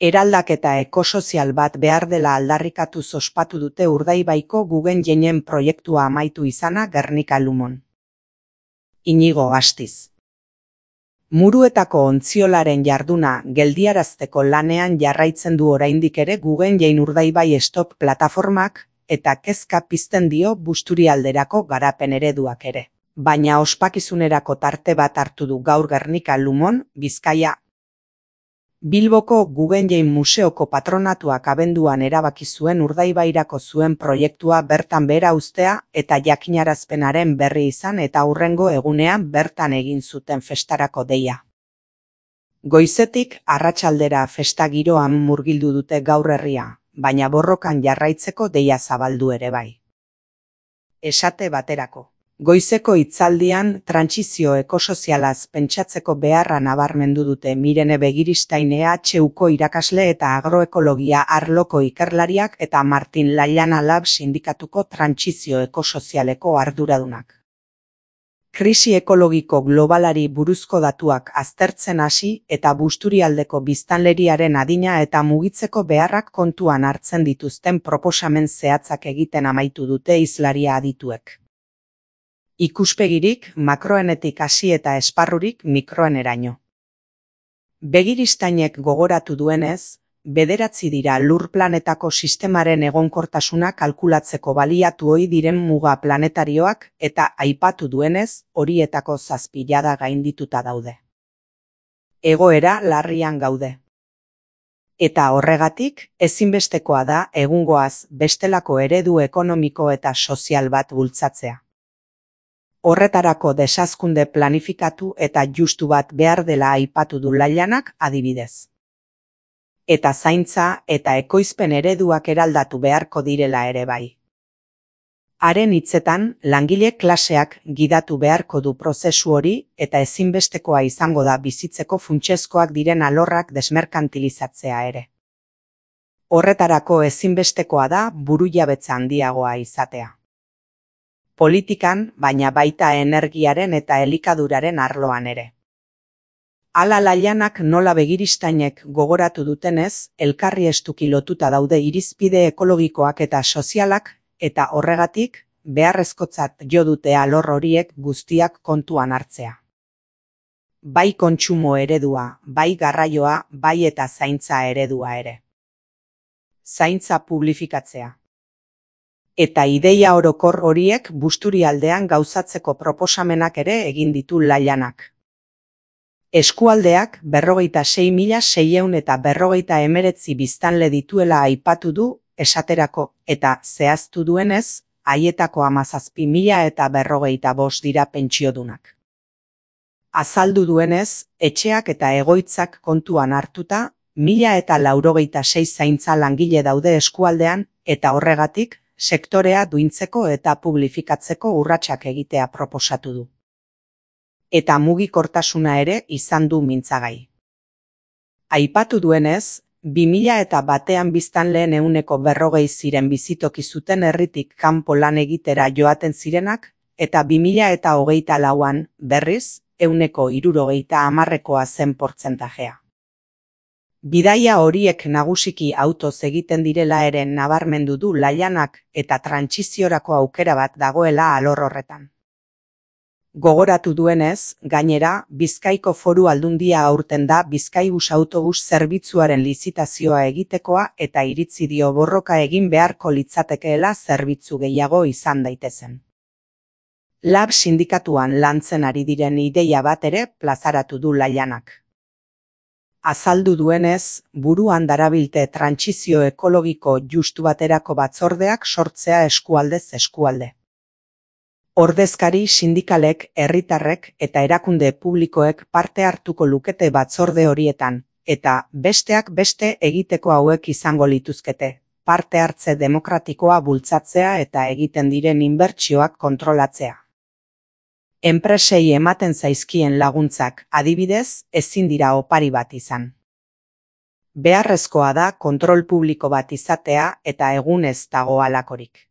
Eraldaketa ekosozial bat behar dela aldarrikatuz ospatu dute Urdaibaiko Guggenheinen proiektua amaitu izana Gernika-Lumon. Inigo Astiz. Muruetako ontziolaren jarduna geldiarazteko lanean jarraitzen du oraindik ere Guggenhein Urdaibai Stop plataformak eta kezka pizten dio Busturialderako garapen ereduak ere. Baina ospakizunerako tarte bat hartu du gaur Gernika-Lumon, Bizkaia. Bilboko Guggenhein Museoko patronatuak abenduan erabaki zuen Urdaibairako zuen proiektua bertan behera uztea eta jakinarazpenaren berri izan eta hurrengo egunean bertan egin zuten festarako deia. Goizetik arratsaldera festa giroan murgildu dute gaur herria, baina borrokan jarraitzeko deia zabaldu ere bai. Esate baterako. Goizeko hitzaldian trantsizio ekosozialaz pentsatzeko beharra nabarmendu dute Mirene Begiristain EHUko irakasle eta agroekologia arloko ikerlariak eta Martin Laillana Lab sindikatuko trantsizio ekosozialeko arduradunak. Krisi ekologiko globalari buruzko datuak aztertzen hasi eta Busturialdeko biztanleriaren adina eta mugitzeko beharrak kontuan hartzen dituzten proposamen zehatzak egiten amaitu dute hizlaria adituek. Ikuspegirik makroenetik hasi eta esparrurik mikroeneraino. Begiristainek gogoratu duenez, 9 dira lur planetako sistemaren egonkortasuna kalkulatzeko baliatu ohi diren muga planetarioak eta aipatu duenez, horietako 7 jada gaindituta daude. Egoera larrian gaude. Eta horregatik, ezinbestekoa da egungoaz bestelako eredu ekonomiko eta sozial bat bultzatzea. Horretarako desazkunde planifikatu eta justu bat behar dela aipatu du Laillanak adibidez. Eta zaintza eta ekoizpen ereduak eraldatu beharko direla ere bai. Haren hitzetan, langile klaseak gidatu beharko du prozesu hori eta ezinbestekoa izango da bizitzeko funtsezkoak diren alorrak desmerkantilizatzea ere. Horretarako ezinbestekoa da burujabetza handiagoa izatea. Politikan, baina baita energiaren eta elikaduraren arloan ere. Hala Laillanak nola Begiristainek gogoratu dutenez, elkarri estuki lotuta daude irizpide ekologikoak eta sozialak, eta horregatik, beharrezkotzat jo dute alor horiek guztiak kontuan hartzea. Bai kontsumo eredua, bai garraioa, bai eta zaintza eredua ere. Zaintza publifikatzea. Eta ideia orokor horiek Busturialdean gauzatzeko proposamenak ere egin ditu Laillanak. Eskualdeak 26.619 biztanle dituela aipatu du esaterako eta zehaztu duenez, haietako 17.045 dira pentsiodunak. Azaldu duenez, etxeak eta egoitzak kontuan hartuta, 1.096 zaintza langile daude eskualdean eta horregatik, sektorea duintzeko eta publifikatzeko urratsak egitea proposatu du. Eta mugikortasuna ere izan du mintzagai. Aipatu duenez, 2001 biztanleen 140 ziren bizitoki zuten herritik kanpo lan egitera joaten zirenak, eta 2024an, berriz, 160%koa zen portzentajea. Bidaia horiek nagusiki autoz egiten direla ere nabarmendu du Laillanak eta trantsiziorako aukera bat dagoela alor horretan. Gogoratu duenez, gainera, Bizkaiko Foru Aldundia aurten da Bizkaibus autobus zerbitzuaren lizitazioa egitekoa eta iritzi dio borroka egin beharko litzatekeela zerbitzu gehiago izan daitezen. Lab sindikatuan lantzen ari diren ideia bat ere plazaratu du Laillanak. Azaldu duenez, buruan darabilte trantsizio ekologiko justu baterako batzordeak sortzea eskualdez eskualde. Ordezkari sindikalek, herritarrek eta erakunde publikoek parte hartuko lukete batzorde horietan, eta besteak beste egiteko hauek izango lituzkete, parte hartze demokratikoa bultzatzea eta egiten diren inbertsioak kontrolatzea. Enpresei ematen zaizkien laguntzak, adibidez, ezin dira opari bat izan. Beharrezkoa da kontrol publiko bat izatea eta egun ez dago halakorik.